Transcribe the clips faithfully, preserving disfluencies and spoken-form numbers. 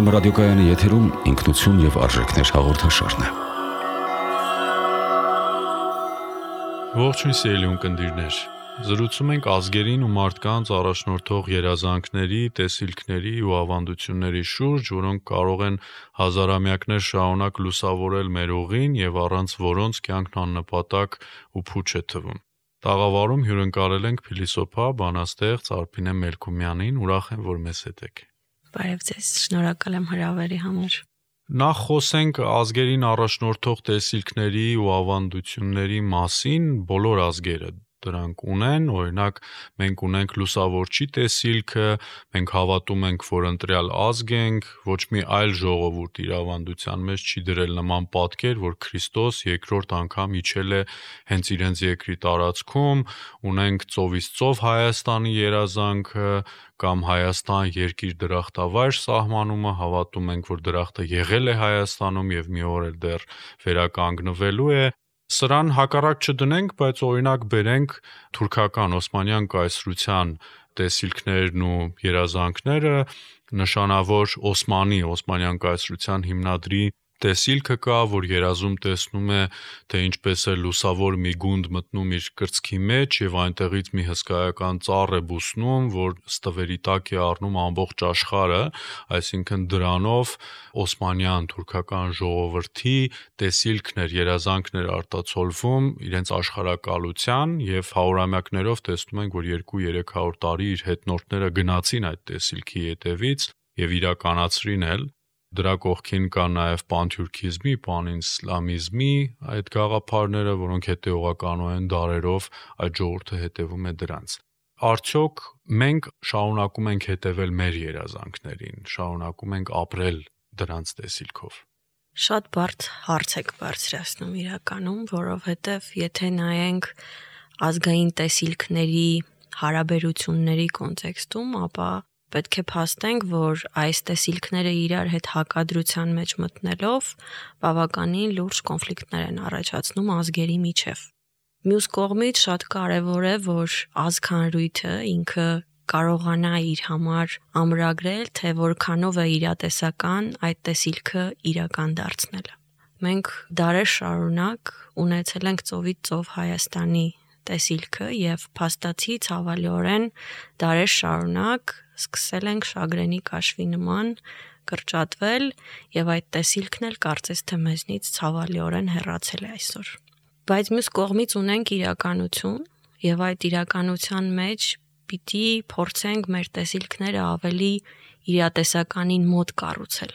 Երգորիա ռադիոկայանի եթերում ինքնություն եւ արժեքներ հաղորդաշարն է։ Ողջույն սիրելի ունկնդիրներ։ Զրուցում ենք ազգերին ու մարդկանց առաջնորդող երազանքների, տեսիլքների ու ավանդությունների շուրջ, որոնք կարող են հազարամյակներ շարունակ լուսավորել մեր ուղին եւ առանց որոնց կյանքն աննպատակ ու փուչ է թվում։ Տաղավարում հյուրընկալել ենք փիլիսոփա, բանաստեղծ Արփինե Մելքումյանին, ուրախ եմ, որ մեզ հետ եք։ Բարև ձեզ, շնորհակալ եմ հրավերի համար։ Նախ խոսենք ազգերին առաջնորդող տեսիլքների ու ավանդությունների մասին, բոլոր ազգերը դրանք ունեն, օրինակ մենք ունենք լուսավորչի տեսիլքը, մենք հավատում ենք, որ ընտրյալ ազգ ենք, ոչ մի այլ ժողովուրդ իր ավանդության մեջ չի դրել նման պատկեր, որ Քրիստոս երկրորդ անգամ իջել է հենց իրենց երկրի տարածքում, ունենք ծովից ծով Հայաստանի երազանքը կամ Հայաստան երկիր դրախտավայր սահմանումը, հավատում ենք, որ դրախտը եղել է Հայաստանում եւ մի օր էլ դեռ վերականգնվելու է։ Սրան հակառակ չդնենք, բայց օրինակ բերենք թուրքական Օսմանյան կայսրության տեսիլքներն ու երազանքները, նշանավոր Օսմանի Օսմանյան կայսրության հիմնադրի տեսիլքը կա, որ երազում տեսնում է, թե ինչպես է լուսավոր մի գունդ մտնում իր կրծքի մեջ եւ այնտեղից մի հսկայական ծառ է բուսնում, որ ստվերի տակ է առնում ամբողջ աշխարհը, այսինքն դրանով Օսմանյան թուրքական ժողովրդի տեսիլքն էր, երազանքն էր արտացոլվում իրենց աշխարհակալության եւ հարյուրամյակներով տեսնում ենք, որ երկու-երեք հարյուր տարի իր հետնորդները գնացին այդ տեսիլքի հետևից եւ իրականացրին էլ։ Դրա կողքին կա նաև պանթյուրքիզմի, պանիսլամիզմի այդ գաղափարները, որոնք հետեւողականորեն դարերով այդ ժողովուրդը հետևում է դրանց։ Արդյոք մենք շարունակում ենք հետևել մեր երազանքներին, շարունակում ենք ապրել դրանց տեսիլքով։ Շատ բարդ հարց եք բարձրացնում իրականում, որովհետև եթե նայենք ազգային տեսիլքների հարաբերությունների կոնտեքստում, ապա պետք է փաստենք, որ այս տեսիլքները իրար հետ հակադրության մեջ մտնելով բավականին լուրջ կոնֆլիկտներ են առաջացնում ազգերի միջև։ Մյուս կողմից շատ կարևոր է, որ ազգ հանրույթը ինքը կարողանա իր համար ամրագրել, թե որքանով է իրատեսական այդ տեսիլքը իրական դարձնելը։ Մենք դարեր շարունակ ունեցել ենք ծովից ծով Հայաստանի տեսիլքը եւ փաստացի ցավալիորեն դարեր շարունակ սկսել ենք շագրենի կաշվի նման կրճատվել եւ այդ տեսիլքն էլ կարծես թե մեզնից ցավալիորեն հեռացել է այսօր։ Բայց մյուս կողմից ունենք իրականություն եւ այդ իրականության մեջ պիտի փորձենք մեր տեսիլքները ավելի իրատեսականին մոտ կառուցել։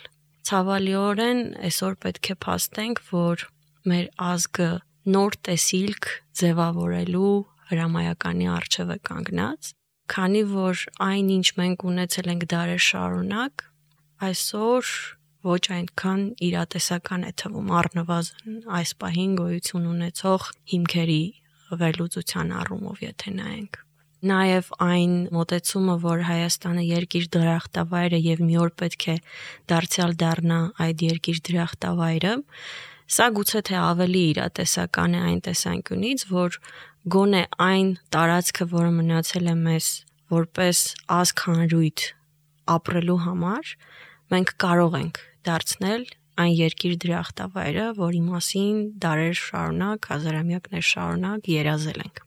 Ցավալիորեն այսօր պետք է փաստենք, որ մեր ազգը նոր տեսիլք ձևավորելու հրամայականի առջև է կանգնած, քանի որ այն, ինչ մենք ունեցել ենք դարեր շարունակ, այսօր ոչ այնքան իրատեսական է թվում, առնվազն այս պահին գոյություն ունեցող հիմքերի վերլուծության առումով, եթե նայենք։ Նաև այն մոտեցումը, որ Հայաստանը երկիր դրախտավայր է եւ մի օր պետք է դարձյալ դառնա այդ երկիր դրախտավայրը, սա գուցե թե ավելի իրատեսական է այն տեսանկյունից, որ գոնե այն տարածքը, որը մնացել է մեզ որպես ազգ հանրույթ ապրելու համար, մենք կարող ենք դարձնել այն երկիր դրախտավայրը, որի մասին դարեր շարունակ, հազարամյակներ շարունակ երազել ենք։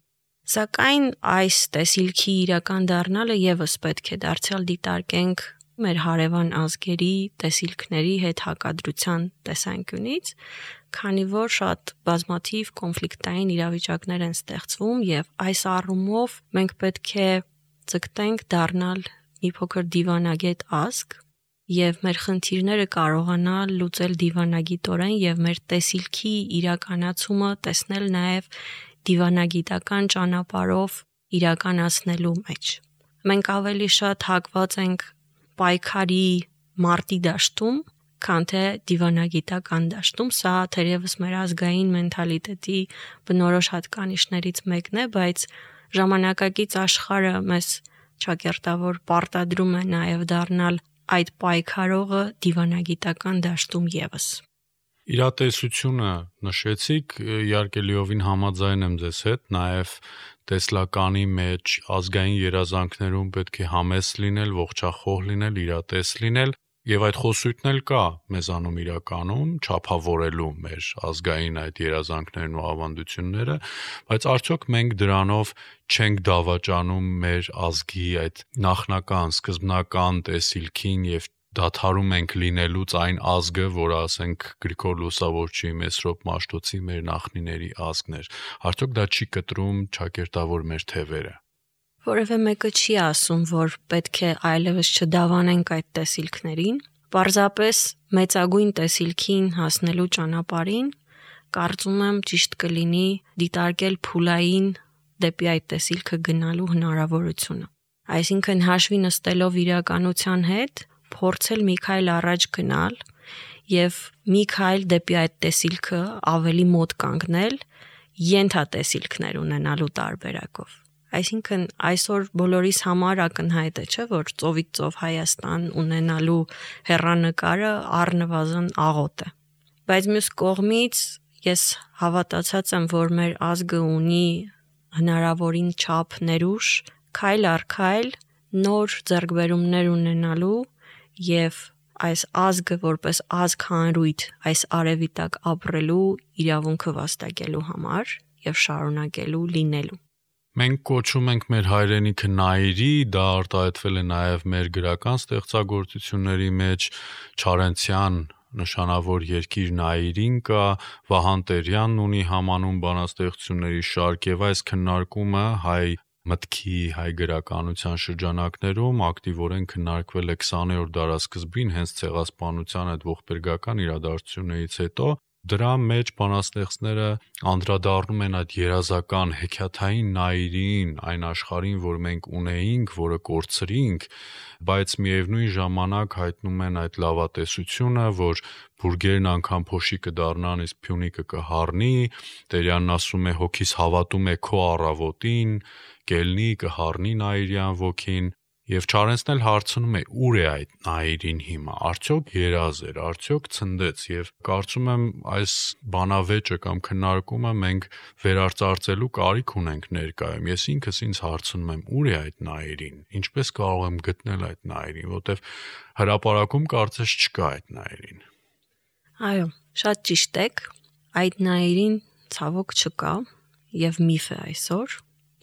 Սակայն այս տեսիլքի իրական դառնալը եւս պետք է դարձյալ դիտարկենք մեր հարևան ազգերի տեսիլքների հետ հակադրության տեսանկյունից, քանի որ շատ բազմաթիվ կոնֆլիկտային իրավիճակներ են ստեղծվում եւ այս առումով մենք պետք է ձգտենք դառնալ մի փոքր դիվանագետ ազգ եւ մեր խնդիրները կարողանալ լուծել դիվանագիտորեն եւ մեր տեսիլքի իրականացումը տեսնել նաեւ դիվանագիտական ճանապարհով իրականացնելու մեջ։ Մենք ավելի շատ հակված ենք պայքարի մարտի դաշտում, քան թե դիվանագիտական դաշտում, սա թերևս մեր ազգային մենթալիտետի բնորոշ հատկանիշներից մեկն է, բայց ժամանակակից աշխարհը մեզ ճակերտավոր պարտադրում է նաև դառնալ այդ պայքարողը դիվանագիտական դաշտում եւս։ Իրատեսությունը նշեցիք, իհարկե լիովին համաձայն եմ ձեզ հետ, նաև տեսլականի մեջ ազգային երազանքներում պետք է համեստ լինել, ողջախոհ լինել, իրատես լինել, Եվ այդ խոսույթն էլ կա մեզանում իրականում չափավորելու մեր ազգային այդ երազանքներն ու ավանդությունները, բայց արդյոք մենք դրանով չենք դավաճանում մեր ազգի այդ նախնական, սկզբնական տեսիլքին եւ դադարում ենք լինելուց այն ազգը, որը ասենք Գրիգոր Լուսավորչի, Մեսրոպ Մաշտոցի մեր նախնիների ազգն էր։ Արդյոք դա չի կտրում ճակերտավոր մեր թևերը։ Որևէ մեկը չի ասում, որ պետք է այլևս չդավանենք այդ տեսիլքներին, պարզապես մեծագույն տեսիլքին հասնելու ճանապարհին կարծում եմ ճիշտ կլինի դիտարկել փուլային դեպի այդ տեսիլքը գնալու հնարավորությունը։ Այսինքն հաշվի նստելով իրականության հետ, փորձել մի քայլ առաջ գնալ եւ մի քայլ դեպի այդ տեսիլքը ավելի մոտ կանգնել, ենթատեսիլքներ ունենալու տարբերակով։ Այսինքն այսօր բոլորիս համար ակնհայտ է, չէ՞, որ ծովից ծով Հայաստան ունենալու հեռանկարը առնվազն աղոտ է։ Բայց մյուս կողմից ես հավատացած եմ, որ մեր ազգը ունի հնարավորին չափ ներուժ, քայլ առ քայլ նոր ձեռքբերումներ ունենալու եւ այս ազգը որպես ազգ հանրույթ այս արևի տակ ապրելու իրավունքը վաստակելու համար եւ շարունակելու լինելու։ Մենք կոչում ենք մեր հայրենիքը Նայիրի, դա արտահայտվել է նաև մեր գրական ստեղծագործությունների մեջ, Չարենցյան նշանավոր երկիր Նայիրին կա, Վահան Տերյանն ունի համանուն բանաստեղծությունների շարք եւ այս քննարկումը հայ մտքի, հայ գրականության շրջանակներում ակտիվորեն քննարկվել է քսաներորդ դարասկզբին հենց ցեղասպանության այդ ողբերգական իրադարձություններից հետո։ Դրա մեջ բանաստեղծները անդրադառնում են այդ երազական հեքիաթային Նայիրին, այն աշխարհին, որ մենք ունեինք, որը կորցրինք, բայց միևնույն ժամանակ հայտնում են այդ լավատեսությունը, որ բուրգերն անգամ փոշի կդառնան, իսկ Փյունիկը կհառնի, Տերյանն ասում է հոգիս հավատում է քո առավոտին, կելնի կհառնի Նայիրյան ոգին։ Եվ Չարենցն էլ հարցնում է ուր է այդ Նայիրին հիմա, արդյոք երազ էր, արդյոք ցնդեց եւ կարծում եմ այս բանավեճը կամ քննարկումը մենք վերարծարծելու կարիք ունենք ներկայում։ Ես ինքս ինձ հարցնում եմ ուր է այդ Նայիրին, ինչպես կարող եմ գտնել այդ Նայիրին, որտեվ հրապարակում կարծես չկա այդ Նայիրին։ Այո, շատ ճիշտ եք, այդ Նայիրին ցավոք չկա եւ միֆ է այսօր։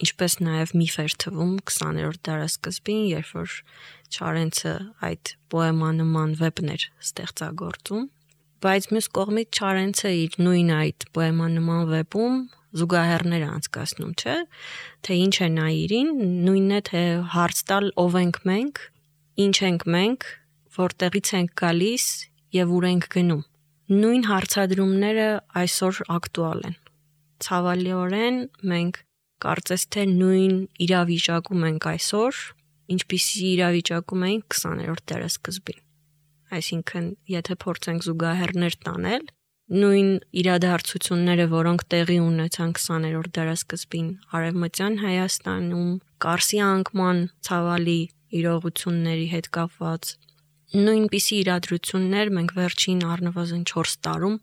Ինչպես նաև միֆ էր թվում քսաներորդ դարասկզբին, երբ որ Չարենցը այդ պոեմանման վեպներ ստեղծագործում, բայց մյուս կողմից Չարենցը իր նույն այդ պոեմանման վեպում զուգահեռներ անցկացնում, չէ՞, թե ինչ է Նայիրին, նույնն է թե հարց տալ ով ենք մենք, ինչ ենք մենք, որտեղից ենք գալիս եւ ուր ենք գնում։ Նույն հարցադրումները այսօր ակտուալ են։ Ցավալիորեն մենք կարծես թե նույն իրավիճակում ենք այսօր, ինչպիսի իրավիճակում էինք քսաներորդ դարասկզբին։ Այսինքն, եթե փորձենք զուգահեռներ տանել, նույն իրադարձությունները, որոնք տեղի ունեցան քսաներորդ դարասկզբին Արևմտյան Հայաստանում, Կարսի անկման ցավալի իրողությունների հետ կապված, նույնպիսի իրադրություններ մենք վերջին առնվազն չորս տարում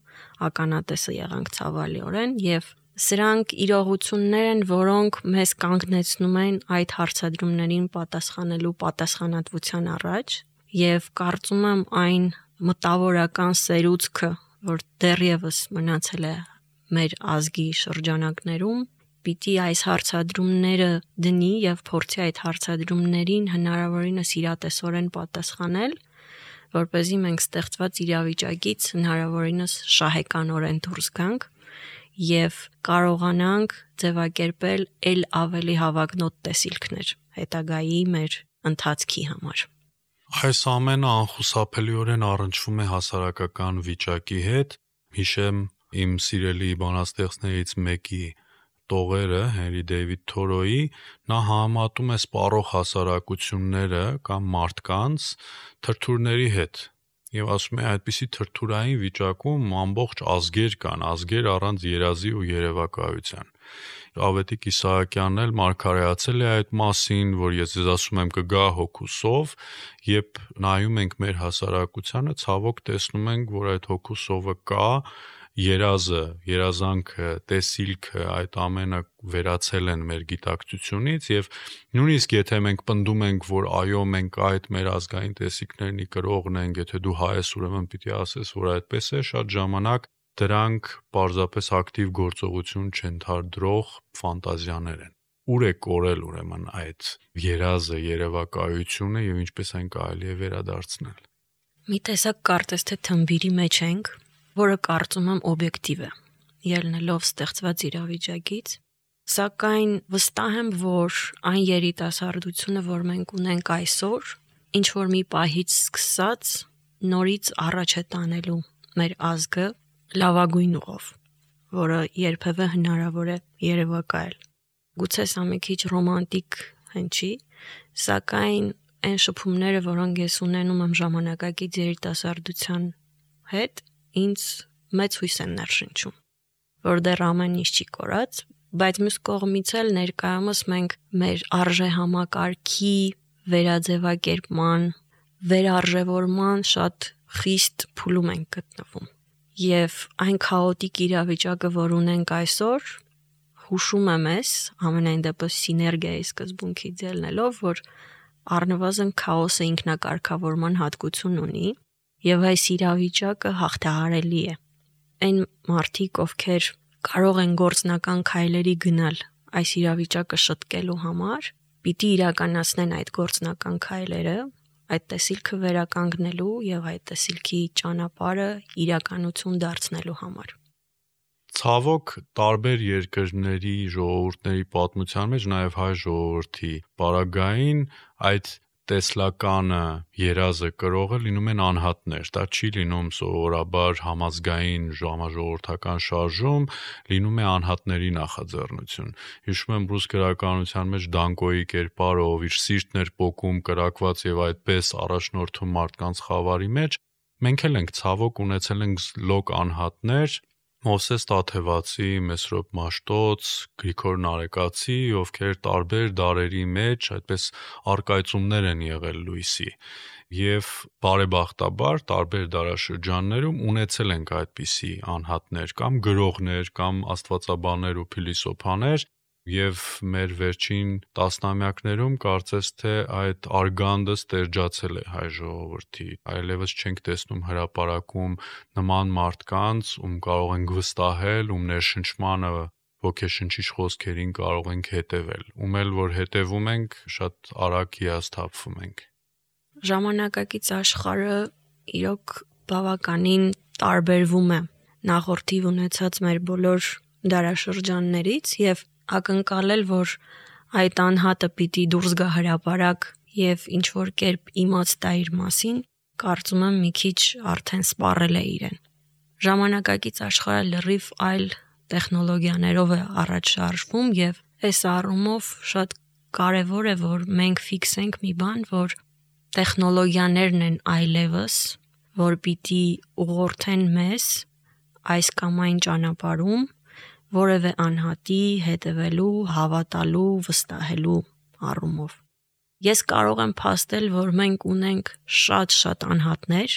ականատեսը եղանք ցավալիորեն եւ սրանք իրողություններ են, որոնք մեզ կանգնեցնում են այդ հարցադրումներին պատասխանելու պատասխանատվության առաջ եւ կարծում եմ այն մտավորական սերուցքը, որ դեռևս մնացել է մեր ազգի շրջանակներում, պիտի այս հարցադրումները դնի եւ փորձի այդ հարցադրումներին հնարավորինս իրատեսորեն պատասխանել, որպեսզի մենք ստեղծված իրավիճակից հնարավորինս շահեկանորեն դուրս գանք եւ կարողանանք ձևակերպել ել ավելի հավակնոտ տեսիլքներ հետագայի մեր ընթացքի համար։ Այս ամենը անխուսափելիորեն առնչվում է հասարակական վիճակի հետ։ Հիշեմ իմ սիրելի բանաստեղծներից մեկի տողերը Հենրի Դեյվիդ Թորոյի, նա համատում է սպառող հասարակությունները կամ մարդկանց թրթուրների հետ։ Եվ ասում է այդպիսի թրթուրային վիճակում ամբողջ ազգեր կան, ազգեր առանց երազի ու երևակայության։ Ավետիք Իսահակյանն էլ մարգարեացել է այդ մասին, որ ես ձեզ ասում եմ կգա հոգուսով, երբ նայում ենք մեր հասարակությանը, ցավոք տեսնում ենք, որ այդ հոգուսովը կա երազը, երազանքը, տեսիլքը, այդ ամենը վերացել են մեր գիտակցությունից եւ նույնիսկ եթե մենք պնդում ենք, որ այո, մենք այդ մեր ազգային տեսիլքներնի կրողն ենք, եթե դու հայ ես, ուրեմն պիտի ասես, որ այդպես է, շատ ժամանակ դրանք պարզապես ակտիվ գործողություն չընթարդրող ֆանտազիաներ են։ Ուր է կորել ուրեմն այդ երազը, երևակայությունը եւ ինչպես այն կարելի է վերադարձնել։ Մի տեսակ կարծես թե թմբիրի մեջ ենք, որը կարծում եմ օբյեկտիվ է, ելնելով ստեղծված իրավիճակից, սակայն վստահ եմ, որ այն երիտասարդությունը, որ մենք ունենք այսօր, ինչ որ մի պահից սկսած նորից առաջ է տանելու մեր ազգը լավագույն ուղով, որը երբևէ հնարավոր է երևակայել։ Գուցե սա մի քիչ ռոմանտիկ հնչի, սակայն այն շփումները, որոնք ես ունենում եմ ժամանակակից երիտասարդության հետ, ինձ մեծ հույս են ներշնչում, որ դեռ ամեն ինչ չի կորած, բայց մյուս կողմից էլ ներկայումս մենք մեր արժեհամակարգի վերաձևակերպման, վերարժևորման շատ խիստ փուլում ենք գտնվում։ Եվ այն քաոտիկ իրավիճակը, որ ունենք այսօր, հուշում է մեզ, ամենայն դեպս սիներգիայի սկզբունքից ելնելով, որ առնվազն քաոսը ինքնակարգավորման հատկություն ունի, եւ այս իրավիճակը հաղթահարելի է։ Այն մարդիկ, ովքեր կարող են գործնական քայլերի գնալ այս իրավիճակը շտկելու համար, պիտի իրականացնեն այդ գործնական քայլերը, այդ տեսիլքը վերականգնելու եւ այդ տեսիլքի ճանապարհը իրականություն դարձնելու համար։ Ցավոք տարբեր երկրների ժողովուրդների պատմության մեջ նաեւ հայ ժողովրդի պարագային այդ տեսլականը, երազը կրողը լինում են անհատներ, դա չի լինում սովորաբար համազգային ժամաժողովրդական շարժում, լինում է անհատների նախաձեռնություն։ Հիշում եմ ռուս գրականության մեջ Դանկոյի կերպարը, ով իր սիրտն էր պոկում, կրակված եւ այդպես առաջնորդում մարդկանց խավարի մեջ, մենք էլ ենք ցավոք ունեցել ենք լոկ անհատներ, Մովսես Տաթևացի, Մեսրոպ Մաշտոց, Գրիգոր Նարեկացի, ովքեր տարբեր դարերի մեջ այդպես արկայծումներ են եղել լույսի եւ բարեբախտաբար տարբեր դարաշրջաններում ունեցել ենք այդպիսի անհատներ կամ գրողներ կամ աստվածաբաններ ու փիլիսոփաներ եւ մեր վերջին տասնամյակներում կարծես թե այդ արգանդը ստերջացել է հայ ժողովրդի, այլևս չենք տեսնում հրապարակում նման մարդկանց, ում կարող ենք վստահել, ում ներշնչմանը ոգեշնչիչ խոսքերին կարող ենք հետևել, ում էլ որ հետևում ենք, շատ արագ հիասթափվում ենք։ Ժամանակակից աշխարհը իրոք բավականին տարբերվում է նախորդիվ ունեցած մեր բոլոր դարաշրջաններից եւ ակնկալել, որ այդ անհատը պիտի դուրս գա հրապարակ եւ ինչ որ կերպ իմաց տա իր մասին, կարծում եմ մի քիչ արդեն սպառել է իրեն։ Ժամանակակից աշխարհը լրիվ այլ տեխնոլոգիաներով է առաջ շարժվում եւ այս առումով շատ կարեւոր է, որ մենք ֆիքսենք մի բան, որ տեխնոլոգիաներն են այլևս, որ պիտի ուղղորդեն մեզ այս կամ այն ճանապարհում որևէ անհատի հետևելու, հավատալու, վստահելու առումով։ Ես կարող եմ փաստել, որ մենք ունենք շատ-շատ անհատներ,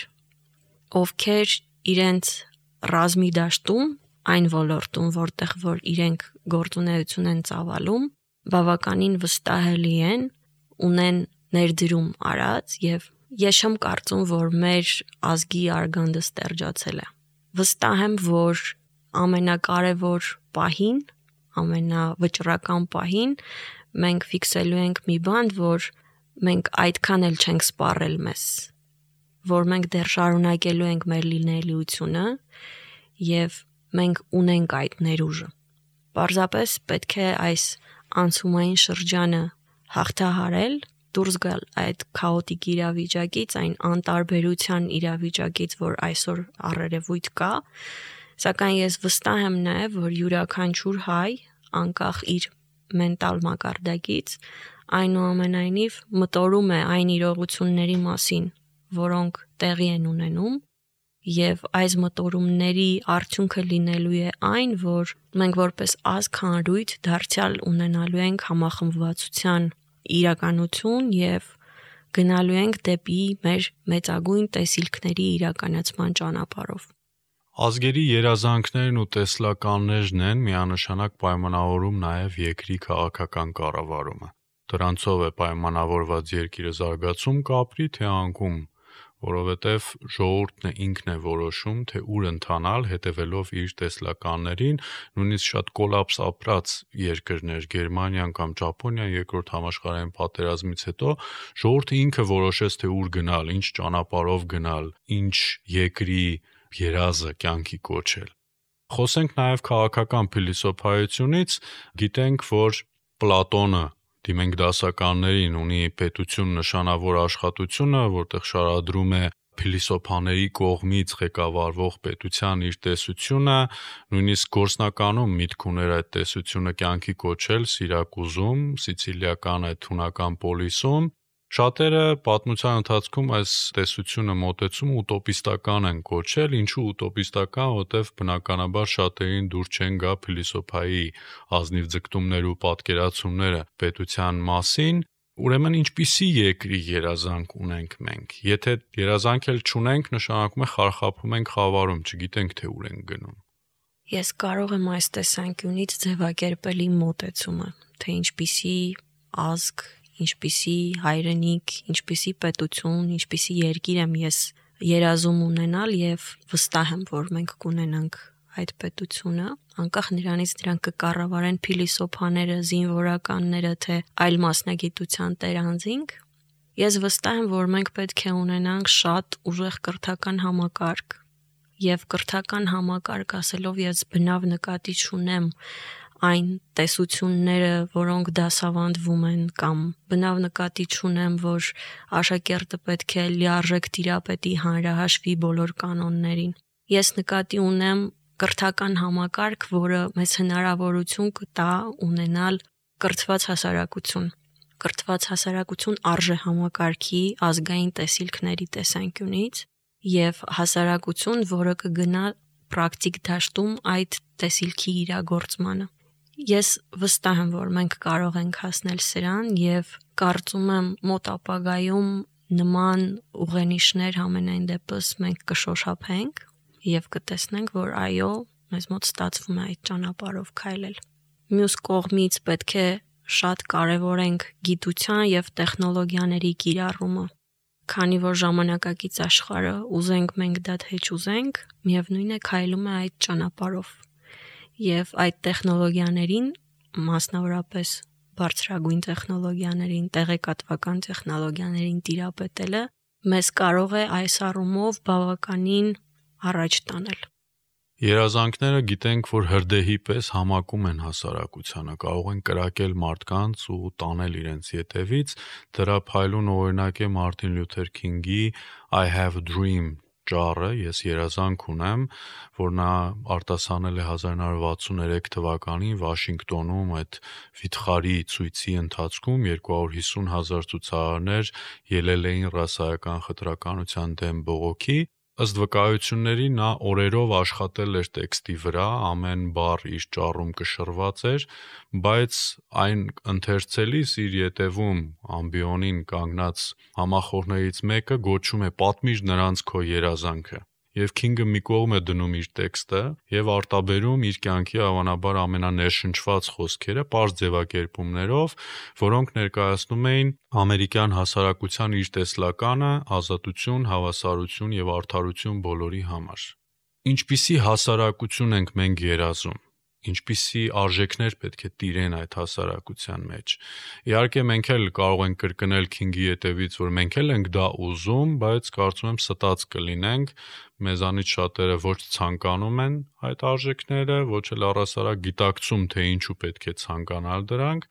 ովքեր իրենց ռազմի դաշտում, այն ոլորտում, որտեղ որ իրենք գործունեություն են ծավալում, բավականին վստահելի են, ունեն ներդրում արած եւ ես չեմ կարծում, որ մեր ազգի արգանդը ստերջացել է։ Վստահ եմ, որ ամենակարևոր պահին, ամենավճռական պահին մենք ֆիքսելու ենք մի բան, որ մենք այդքան էլ չենք սպառել մեզ, որ մենք դեռ շարունակելու ենք մեր լինելիությունը եւ մենք ունենք այդ ներուժը։ Պարզապես պետք է այս անցումային շրջանը հաղթահարել, դուրս գալ այդ քաոտիկ իրավիճակից, այն անտարբերության իրավիճակից, որ այսօր առերևույթ կա, սակայն ես վստահ եմ նաև, որ յուրաքանչյուր հայ, անկախ իր մենտալ մակարդակից, այնուամենայնիվ մտորում է այն իրողությունների մասին, որոնք տեղի են ունենում, եւ այս մտորումների արդյունքը լինելու է այն, որ մենք որպես ազգ հանրույթ դարձյալ ունենալու ենք համախմբվածության իրականություն եւ գնալու ենք դեպի մեր մեծագույն տեսիլքների իրականացման ճանապարհով։ Ազգերի երազանքներն ու տեսլականներն են միանշանակ պայմանավորում նաև երկրի քաղաքական կառավարումը։ Դրանցով է պայմանավորված երկիրը զարգացում կապրի, թե անկում, որովհետև ժողովուրդն է ինքն է որոշում, թե ուր ընթանալ, հետևելով իր տեսլականներին, նույնիսկ շատ կոլապս ապրած երկրներ, Գերմանիան կամ Ճապոնիան երկրորդ համաշխարհային պատերազմից հետո ժողովուրդը ինքը որոշեց, թե ուր գնալ, ինչ ճանապարհով գնալ, ինչ երկրի երազը կյանքի կոչել։ Խոսենք նաև քաղաքական փիլիսոփայությունից, գիտենք, որ Պլատոնը դիմենք դասականներին ունի պետություն նշանավոր աշխատությունը, որտեղ շարադրում է փիլիսոփաների կողմից ղեկավարվող պետության իր տեսությունը, նույնիսկ գործնականում միտք ուներ այդ տեսությունը կյանքի կոչել Սիրակուզում, սիցիլիական այդ հունական պոլիսում։ Շատերը պատմության ընթացքում այս տեսությունը մոտեցումը ուտոպիստական են կոչել, ինչու ուտոպիստական, որտեղ բնականաբար շատերին դուր չեն գա փիլիսոփայի ազնիվ ձգտումներ ու պատկերացումները պետության մասին, ուրեմն ինչպիսի երկրի երազանք ունենք մենք։ Եթե երազանք էլ չունենք, նշանակում է խարխափում ենք խավարում, չգիտենք թե ուր ենք գնում։ Ես կարող եմ այս տեսանկյունից ձևակերպել իմ մոտեցումը, թե ինչպիսի ազգ, ինչպիսի հայրենիք, ինչպիսի պետություն, ինչպիսի երկիր եմ ես երազում ունենալ եւ վստահ եմ, որ մենք կունենանք այդ պետությունը, անկախ նրանից դրանք կկառավարեն փիլիսոփաները, զինվորականները, թե այլ մասնագիտության տերանձինք, ես վստահ եմ, որ մենք պետք է ունենանք շատ ուժեղ կրթական համակարգ եւ կրթական համակարգ ասելով ես բնավ նկատի չունեմ այն տեսությունները, որոնք դասավանդվում են կամ բնավ նկատի չունեմ, որ աշակերտը պետք է լիարժեք տիրապետի հանրահաշվի բոլոր կանոններին։ Ես նկատի ունեմ կրթական համակարգ, որը մեզ հնարավորություն կտա ունենալ կրթված հասարակություն։ Կրթված հասարակություն արժե համակարգի ազգային տեսիլքների տեսանկյունից եւ հասարակություն, որը կգնա պրակտիկ դաշտում այդ տեսիլքի իրագործմանը։ Ես վստահ եմ, որ մենք կարող ենք հասնել սրան եւ կարծում եմ մոտ ապագայում նման ուղենիշներ ամենայն դեպս մենք կշոշափենք եւ կտեսնենք, որ այո, մեզ մոտ ստացվում է այդ ճանապարհով քայլել։ Մյուս կողմից պետք է շատ կարևորենք գիտության եւ տեխնոլոգիաների կիրառումը, քանի որ ժամանակակից աշխարհը ուզենք մենք դա թե չուզենք, միևնույն է քայլում է այդ ճանապարհով։ Եվ այդ տեխնոլոգիաներին, մասնավորապես բարձրագույն տեխնոլոգիաներին, տեղեկատվական տեխնոլոգիաներին տիրապետելը մեզ կարող է այս առումով բավականին առաջ տանել։ Երազանքները գիտենք, որ հրդեհի պես համակում են հասարակությանը, կարող են կրակել մարդկանց ու տանել իրենց ետևից, դրա փայլուն օրինակ է Մարտին Լյութեր Քինգի I have a dream ճառը, ես երազանք ունեմ, որ նա արտասանել է հազար նոց վաթսուններեք թվականին Վաշինգտոնում այդ վիթխարի ցույցի ընթացքում երկու հարյուր հիսուն հազար ցուցարարներ ելել էին ռասայական խտրականության դեմ բողոքի։ Ըստ վկայությունների նա օրերով աշխատել էր տեքստի վրա, ամեն բառ իր ճառում կշռված էր, բայց այն ընթերցելիս իր ետևում ամբիոնին կանգնած համախոհներից մեկը գոչում է պատմիր նրանց քո երազանքը։ Եվ Քինգը մի կողմ է դնում իր տեքստը եւ արտաբերում իր կյանքի հավանաբար ամենաներշնչված խոսքերը պարզ ձևակերպումներով, որոնք ներկայացնում էին ամերիկյան հասարակության իր տեսլականը, ազատություն, հավասարություն եւ արդարություն բոլորի համար։ Ինչպիսի հասարակություն ենք մենք երազում, ինչպիսի արժեքներ պետք է տիրեն այդ հասարակության մեջ։ Իհարկե մենք էլ կարող ենք կրկնել Քինգի ետևից, որ մենք էլ ենք դա ուզում, բայց կարծում եմ ստած կլինենք, մեզանից շատերը ոչ ցանկանում են այդ արժեքները, ոչ էլ առհասարակ գիտակցում, թե ինչու պետք է ցանկանալ դրանք,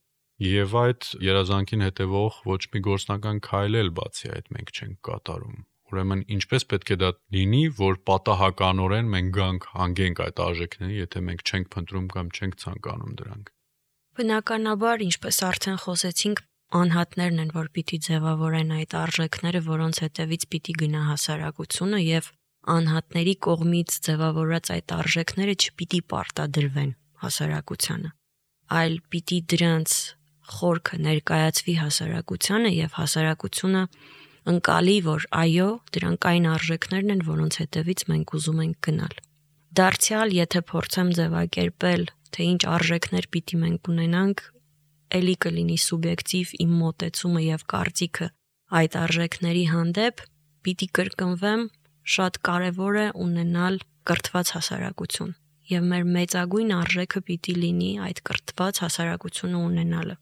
եւ այդ երազանքին հետևող ոչ մի գործնական քայլ էլ բացի այդ մենք չենք կատարում։ Ուրեմն ինչպես պետք է դա լինի, որ պատահականորեն մենք գանք հանգենք այդ արժեքների, եթե մենք չենք փնտրում կամ չենք ցանկանում դրանք։ Բնականաբար, ինչպես արդեն խոսեցինք, անհատներն են, որ պիտի ձևավորեն այդ արժեքները, որոնց հետևից պիտի գնա հասարակությունը եւ անհատների կողմից ձևավորած այդ արժեքները չպիտի պարտադրվեն հասարակությանը, այլ պիտի դրանց խորքը ներկայացվի հասարակությանը եւ հասարակությունը ընկալի, որ այո, դրանք այն արժեքներն են, որոնց հետևից մենք ուզում ենք գնալ։ Դարձյալ, եթե փորձեմ ձևակերպել, թե ինչ արժեքներ պիտի մենք ունենանք, էլի կլինի սուբյեկտիվ իմ մոտեցումը եւ կարծիքը այդ արժեքների հանդեպ, պիտի կրկնվեմ, շատ կարեւոր է ունենալ կրթված հասարակություն եւ մեր մեծագույն արժեքը պիտի լինի այդ կրթված հասարակությունը ունենալը։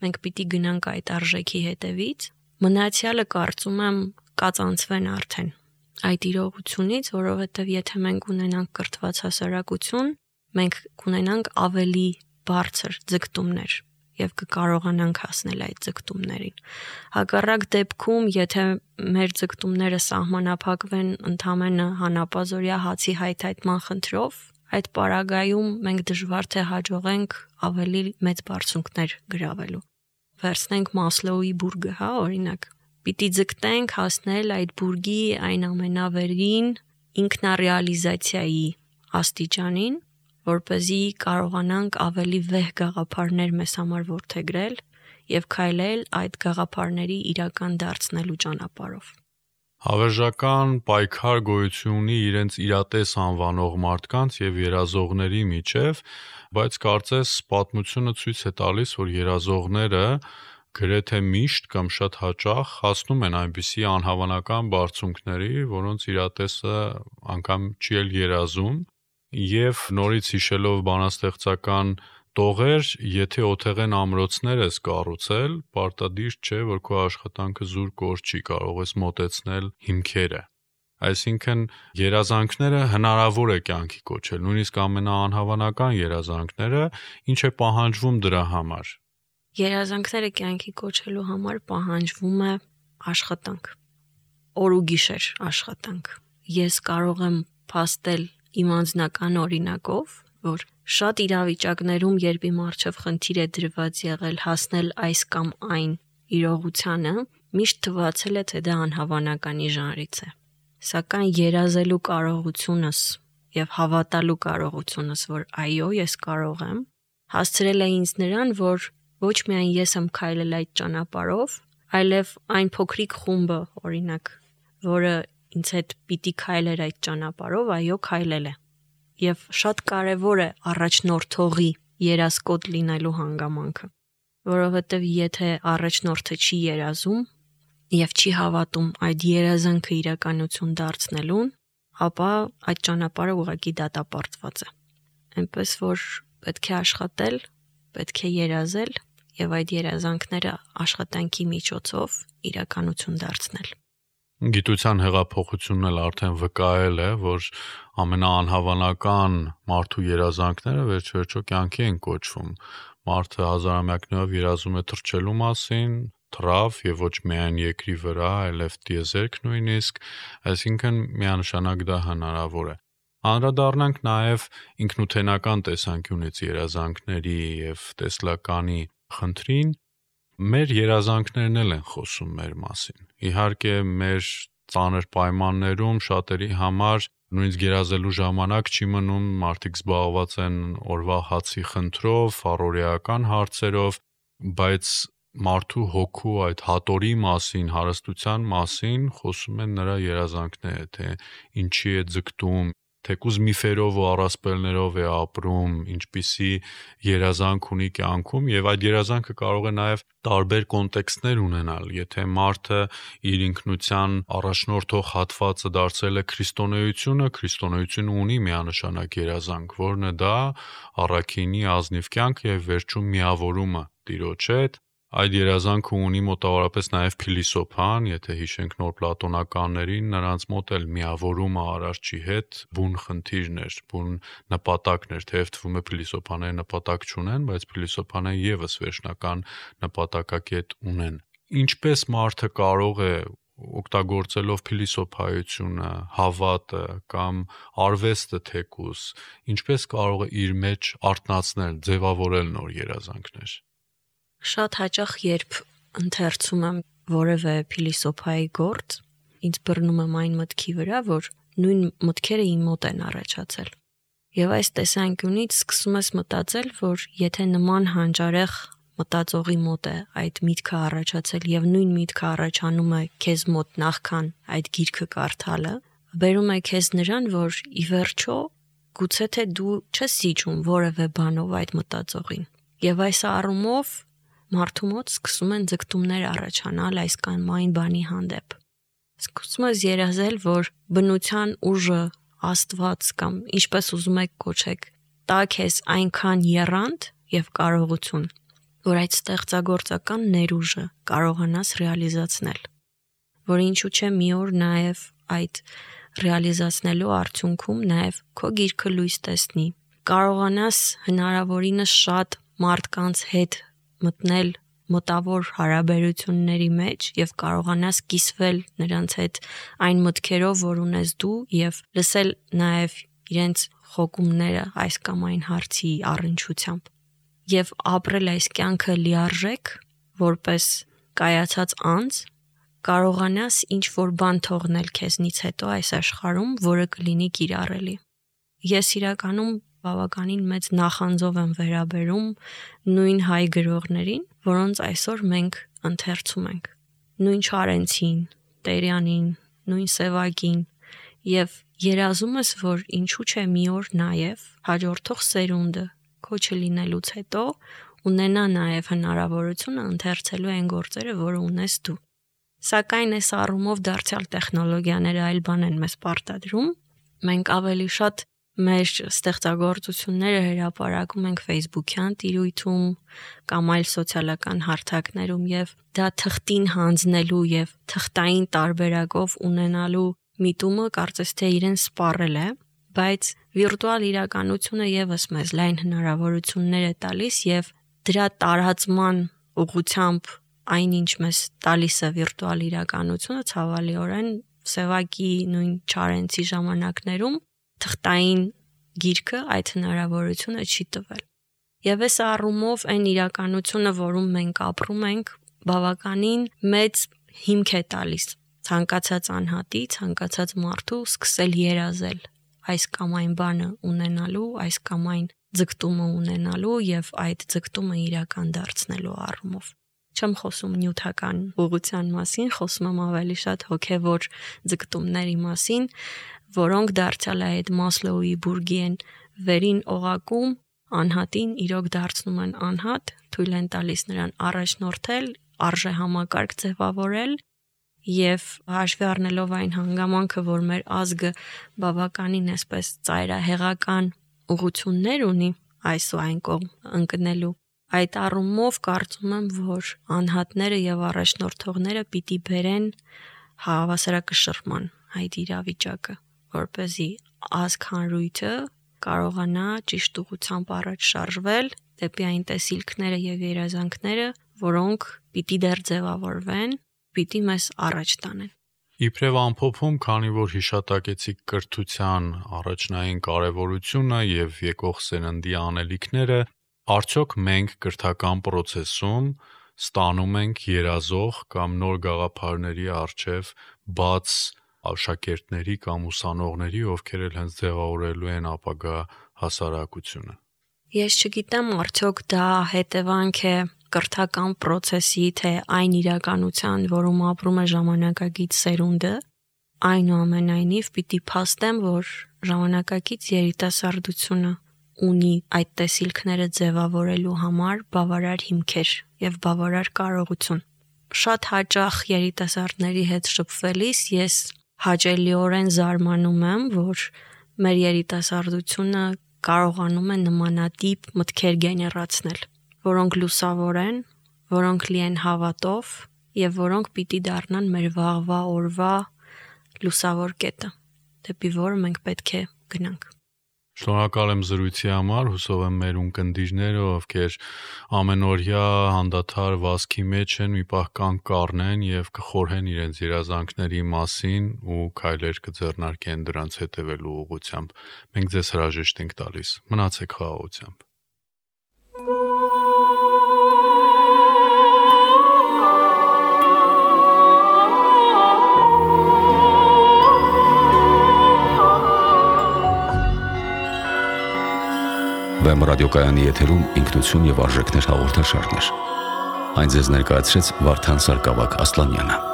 Մենք պիտի գնանք այդ արժեքի հետևից, մնացյալը կարծում եմ կածանցվեն արդեն այդ իրողությունից, որովհետեւ եթե մենք ունենանք կրթված հասարակություն, մենք կունենանք ավելի բարձր ձգտումներ եւ կկարողանանք հասնել այդ ձգտումներին։ Հակառակ դեպքում, եթե մեր ձգտումները սահմանափակվեն ընդամենը հանապազորյա հացի հայթայթման խնդրով, այդ պարագայում մենք դժվար թե հաջողենք ավելի մեծ բարձունքներ գրավելու։ Վերցնենք Մասլոուի բուրգը, հա, օրինակ։ Պիտի ձգտենք հասնել այդ բուրգի այն ամենավերին ինքնարեալիզացիայի աստիճանին, որպեսզի կարողանանք ավելի վեհ գաղափարներ մեզ համար որդեգրել եւ քայլել այդ գաղափարների իրական դարձնելու ճանապարհով։ Հավերժական պայքար գոյություն ունի իրենց իրատես անվանող մարդկանց եւ երազողների միջև, բայց կարծես պատմությունը ցույց է տալիս, որ երազողները գրեթե միշտ կամ շատ հաճախ հասնում են այնպիսի անհավանական բարձունքների, որոնց իրատեսը անգամ չի էլ երազում, եւ նորից հիշելով բանաստեղծական տողեր, եթե օթեղեն ամրոցներ ես կառուցել, պարտադիր չէ, որ քո աշխատանքը զուր կորչի, կարող ես մոտեցնել հիմքերը։ Այսինքն երազանքները հնարավոր է կյանքի կոչել, նույնիսկ ամենաանհավանական երազանքները, ինչ է պահանջվում դրա համար։ Երազանքները կյանքի կոչելու համար պահանջվում է աշխատանք, օր ու գիշեր աշխատանք։ Ես կարող եմ փաստել իմ անձնական օրինակով, որ շատ իրավիճակներում, երբ իմ առջև խնդիր է դրված եղել հասնել այս կամ այն իրողությանը, միշտ թվացել է, թե դա անհավանականի ժանրից է։ Սակայն երազելու կարողությունս եւ հավատալու կարողությունս, որ այո, ես կարող եմ, հասցրել է ինձ նրան, որ ոչ միայն ես եմ քայլել այդ ճանապարհով, այլև այն փոքրիկ խումբը, օրինակ, որը ինձ հետ պիտի քայլեր այդ ճանապարհով, այո, քայլել է։ Եվ շատ կարևոր է առաջնորդողի երազկոտ լինելու հանգամանքը, որովհետև եթե առաջնորդը չի երազում եւ չի հավատում այդ երազանքը իրականություն դարձնելուն, ապա այդ ճանապարհը ուղղակի դատապարտված է։ Այնպես որ պետք է աշխատել, պետք է երազել եւ այդ երազանքները աշխատանքի միջոցով իրականություն դարձնել։ Գիտության հեղափոխությունն էլ արդեն վկայել է, որ ամենաանհավանական մարդու երազանքները վերջ-վերջո կյանքի են կոչվում։ Մարդը հազարամյակներով երազում է թռչելու մասին, թռավ եւ ոչ միայն երկրի վրա, այլև տիեզերք նույնիսկ, այսինքն միանշանակ դա հնարավոր է։ Անդրադառնանք նաեւ ինքնութենական տեսանկյունից երազանքների եւ տեսլականի խնդրին։ Մեր երազանքներն էլ են խոսում մեր մասին։ Իհարկե, մեր ծանր պայմաններում շատերի համար նույնիսկ երազելու ժամանակ չի մնում, մարդիկ զբաղված են օրվա հացի խնդրով, առօրեական հարցերով, բայց մարդու հոգու այդ հատորի մասին, հարստության մասին խոսում են նրա երազանքները, թե ինչի է ձգտում, թեկուզ միֆերով ու առասպելներով է ապրում, ինչպիսի երազանք ունի կյանքում եւ այդ երազանքը կարող է նաեւ տարբեր կոնտեքստներ ունենալ, եթե մարդը իր ինքնության առաջնորդող հատվածը դարձել է քրիստոնեությունը, քրիստոնեությունը ունի միանշանակ երազանք, որն է դա առաքինի ազնիվ կյանք եւ վերջում միավորումը Տիրոջ հետ։ Այդ երազանքը ունի մոտավորապես նաև փիլիսոփան, եթե հիշենք նոր պլատոնականներին, նրանց մոտ էլ միավորումը արարչի հետ բուն խնդիրներ, բուն նպատակներ, թեև թվում է փիլիսոփաները նպատակ չունեն, բայց փիլիսոփաները եւս վերջնական նպատակակետ ունեն։ Ինչպես մարդը կարող է օգտագործելով փիլիսոփայությունը, հավատը կամ արվեստը թեկուզ, ինչպես կարող է իր մեջ արտնացնել, ձևավորել նոր երազանքներ։ Շատ հաճախ երբ ընթերցում եմ որևէ փիլիսոփայի գործ, ինձ բռնում եմ այն մտքի վրա, որ նույն մտքերը իմ մոտ են առաջացել։ Եվ այս տեսանկյունից սկսում ես մտածել, որ եթե նման հանճարեղ մտածողի մոտ է այդ միտքը առաջացել եւ նույն միտքը առաջանում է քեզ մոտ նախքան այդ գիրքը կարդալը, բերում է քեզ նրան, որ ի վերջո գուցե թե դու չես զիջում որևէ բանով այդ մտածողին։ Եվ այս առումով մարդու մոտ սկսում են ձգտումներ առաջանալ այս կամ այն բանի հանդեպ։ Սկսում ես երազել, որ բնության ուժը, Աստված կամ ինչպես ուզում եք կոչեք, տա քեզ այնքան եռանդ եւ կարողություն, որ այդ ստեղծագործական ներուժը կարողանաս ռեալիզացնել, որ ինչու՞ չէ մի օր նաեւ այդ ռեալիզացնելու արդյունքում նաեւ քո գիրքը լույս տեսնի, կարողանաս հնարավորինս շատ մարդկանց հետ մտնել մտավոր հարաբերությունների մեջ եւ կարողանաս կիսվել նրանց հետ այն մտքերով, որ ունես դու եւ լսել նաեւ իրենց խոկումները այս կամ այն հարցի առնչությամբ եւ ապրել այս կյանքը լիարժեք որպես կայացած անձ կարողանաս ինչ որ բան թողնել քեզնից հետո այս աշխարհում, որը կլինի կիրառելի։ Ես իրականում բավականին մեծ նախանձով եմ վերաբերում նույն հայ գրողներին, որոնց այսօր մենք ընթերցում ենք։ Նույն Չարենցին, Տերյանին, նույն Սևակին եւ երազում ես, որ ինչու՞ չէ մի օր նաեւ հաջորդող սերունդը քո չլինելուց հետո ունենա նաեւ հնարավորությունը ընթերցելու այն գործերը, որը ունես դու։ Սակայն այս առումով դարձյալ տեխնոլոգիաները այլ բան են մեզ պարտադրում։ Մենք ավելի շատ մեր ստեղծագործությունները հրապարակում ենք Facebook-յան տիրույթում կամ այլ սոցիալական հարթակներում եւ դա թղթին հանձնելու եւ թղթային տարբերակով ունենալու միտումը կարծես թե իրեն սպառել է, բայց վիրտուալ իրականությունը եւս մեզ լայն հնարավորություններ է տալիս եւ դրա տարածման ուղղությամբ այնինչ մեզ տալիս է վիրտուալ իրականությունը ցավալիորեն Սևակի նույն Չարենցի ժամանակներում թղթային գիրքը այդ հնարավորությունը չի տվել։ Եվ այս առումով այն իրականությունը, որում մենք ապրում ենք, բավականին մեծ հիմք է տալիս ցանկացած անհատի, ցանկացած մարդու սկսել երազել այս կամ այն բանը ունենալու, այս կամ այն ձգտումը ունենալու եւ այդ ձգտումը իրական դարձնելու առումով։ Չեմ խոսում նյութական ուղղության մասին, խոսում եմ ավելի շատ հոգևոր ձգտումների մասին, որոնք դարձյալ այդ Մասլոուի բուրգիեն վերին օղակում անհատին իրոք դարձնում են անհատ, թույլ են տալիս նրան առաջնորդել, արժե համակարգ ձևավորել եւ հաշվի առնելով այն հանգամանքը, որ մեր ազգը բավականին այսպես ծայրահեղական ուղղություններ ունի այս ու այն կողմ ընկնելու, այդ առումով կարծում եմ, որ անհատները եւ առաջնորդողները պիտի բերեն հավասարակշռման այդ իրավիճակը, որպեսզի ազգ հանրույթը կարողանա ճիշտ ուղղությամբ առաջ շարժվել դեպի այն տեսիլքները եւ երազանքները, որոնք պիտի դեռ ձևավորվեն, պիտի մեզ առաջ տանեն։ Իբրև ամփոփում, քանի որ հիշատակեցիք կրթության առաջնային կարևորությունը եւ եկող սերնդի անելիքները, արդյոք մենք կրթական process-ում ստանում ենք երազող կամ նոր գաղափարների առջև բաց աշակերտների կամ ուսանողների, ովքեր էլ հենց ձևավորելու են ապագա հասարակությունը։ Ես չգիտեմ, արդյոք դա հետևանք է կրթական process-ի, թե այն իրականության, որում ապրում է ժամանակակից սերունդը, այնուամենայնիվ պիտի փաստեմ, որ ժամանակակից երիտասարդությունը ունի այդ տեսիլքները ձևավորելու համար բավարար հիմքեր եւ բավարար կարողություն։ Շատ հաճախ երիտասարդների հետ շփվելիս ես հաճելիորեն զարմանում եմ, որ մեր երիտասարդությունը կարողանում է նմանատիպ մտքեր գեներացնել, որոնք լուսավոր են, որոնք լի են հավատով եւ որոնք պիտի դառնան մեր վաղվա օրվա լուսավոր կետը, դեպի որը մենք պետք է գնանք։ Շնորհակալ եմ զրույցի համար, հուսով եմ մեր ունկնդիրները, ովքեր ամենօրյա հանդադար վազքի մեջ են, մի պահ կանգ կառնեն եւ կխորհեն իրենց երազանքների մասին ու քայլեր կձեռնարկեն դրանց հետևելու ուղղությամբ։ Մենք ձեզ հրաժեշտ ենք տալիս։ Մնացեք խաղաղությամբ։ Վեմ ռադիոկայանի եթերում ինքնություն եւ արժեքներ հաղորդաշարներ։ Այն ձեզ ներկայացրեց Վարդան Սարգսակ Ասլանյանը։